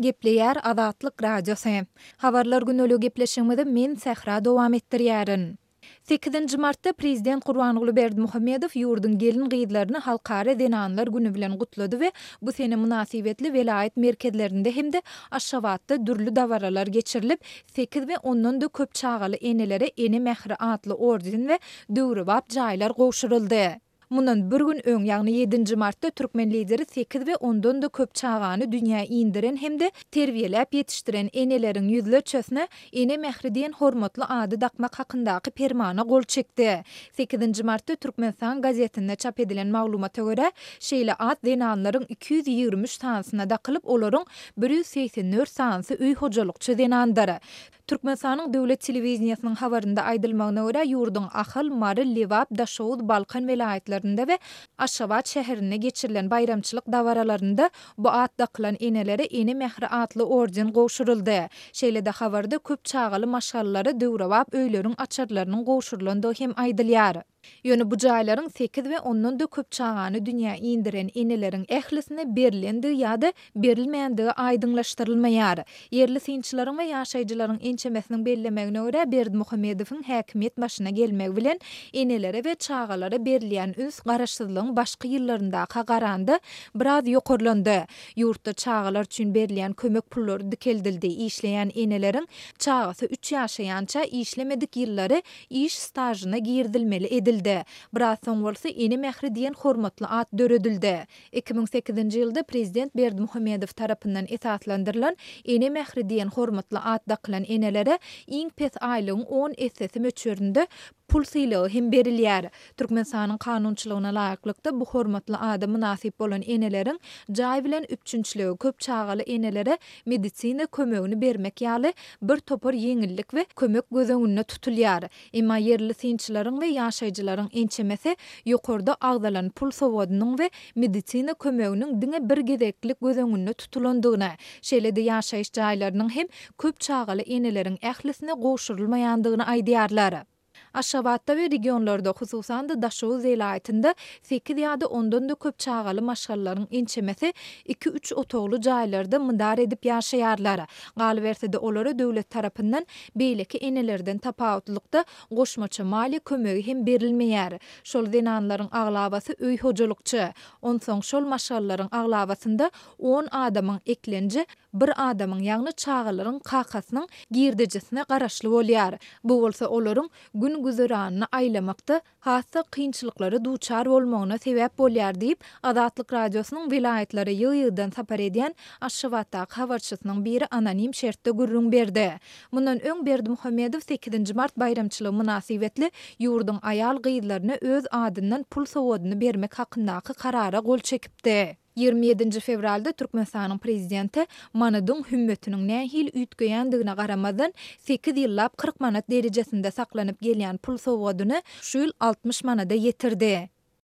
Gepleýär Azatlyk Radiosy. Habarlar güneli gepleşigimizi men Sähra dowam etdirýärin. Sekizinji martda Prezident Gurbanguly Berdimuhamedow ýurduň gelin-gyzlaryny Halkara zenanlar güni bilen gutlady we bu sene mynasybetli welaýat merkezlerinde hem-de Aşgabatda dürli dabaralar geçirilip, sekiz we ondan-da köp çagaly enelere Ene mähri atly orden we döwrebap jaýlar gowşuryldy. Mundan bir gün öň, ýagny ýedinji martda türkmen Lideri sekiz we ondan-da köp çagany dünýä indiren hem-de terbiýeläp ýetişdiren eneleriň ýüzlerçesine Ene mähri diýen hormatly ady dakmak hakyndaky Permana gol çekdi. Sekizinji martda Türkmenistan gazetinde çap edilen maglumata görä, şeýle at zenanlaryň 223 sanysyna dakylyp, olaryň 184 sanysy öý hojalykçy zenandyr. Türkmenistanyň döwlet telewideniýesiniň habarynda aýdylmagyna görä, ýurduň Ahal, Mary, Lebap, Daşoguz, Balkan welaýatlarynda we Aşgabat şäherinde geçirilen baýramçylyk dabaralarynda bu at dakylan enelere Ene mähri atly orden gowşuryldy. Şeýle-de habarda köp çagaly maşgalalara döwrebap öýleriň açarlarynyň gowşurylandygy hem aýdylýar. Ýöne bu jaýlaryň sekiz we ondan-da köp çagany dünýä indiren eneleriň ählisine berlendigi ýa-da berilmändigi aýdyňlaşdyrylmaýar. Ýerli synçylaryň we ýaşaýjylaryň ençemesiniň bellemegine görä, Berdimuhamedowyň häkimiýet başyna gelmegi bilen enelere we çagalara berilýän üns garaşsyzlygyň başky ýyllaryndaka garanda biraz ýokarlandy. Ýurtda çagalar üçin berilýän kömek pullary dikeldildi, işleýän eneleriň çagasy üç ýaşaýança işlemedik ýyllary iş stažyna girizilmeli edildi. Biraz soň bolsa Ene mähri diýen hormatly at döredildi. 2008-nji ýylda prezident Berdimuhamedow tarapyndan esaslandyrylan Ene mähri diýen hormatly at dakylan enelere iň pes aýlygyň on essesi möçberinde pul sylagy hem berilýär. Türkmenistanyň kanunçylygyna laýyklykda, bu hormatly ada mynasyp bolan eneleriň jaý bilen üpjünçiligi, köp çagaly enelere medisina kömegini bermek ýaly bir topar ýeňillik we kömek göz öňünde tutulýar. Emma ýerli synçylaryň we ýaşaýjylaryň ençemesi ýokarda agzalan pul sowgadynyň we medisina kömeginiň diňe bir gezeklik göz öňünde tutulandygyny, şeýle-de ýaşaýyş jaýlarynyň hem köp çagaly eneleriň ählisine gowşurylmaýandygyny aýdýarlar. Aşgabatda we regionlarda, hususan-da Daşoguz welaýatynda sekiz ýa-da ondan-da köp çagaly maşgalalaryň ençemesi iki-üç otagly jaýlarda mydar edip ýaşaýarlar. Galyberse-de, olara döwlet tarapyndan beýleki enelerden tapawutlykda goşmaça maliýe kömegi hem berilmeýär. Şol zenanlaryň aglabasy öý hojalykçy. Onsoň şol maşgalalaryň aglabasynda on adamyň eklenji bir adamyň, ýagny çagalaryň kakasynyň girdejisine garaşly bolýar. Bu bolsa olaryň gün-güzeranyny aýlamakda has-da kynçylyklara duçar bolmagyna sebäp bolýar diýip, Azatlyk Radiosynyň welaýatlara ýygy-ýygydan sapar edýän Aşgabatdaky habarçysynyň biri anonim şertde gürrüň berdi. Mundan öň Berdimuhamedow sekizinji mart baýramçylygy mynasybetli ýurduň aýal-gyzlaryna öz adyndan pul sowgadyny bermek hakyndaky karara gol çekipdi. 27-nji fewralda Türkmenistanyň Prezidenti manadyň hümmetiniň nähili üýtgeýändigine garamazdan, sekiz ýyllap 40 manat derejesinde saklanyp gelýän pul sowgadyny şu ýyl 60 manada ýetirdi.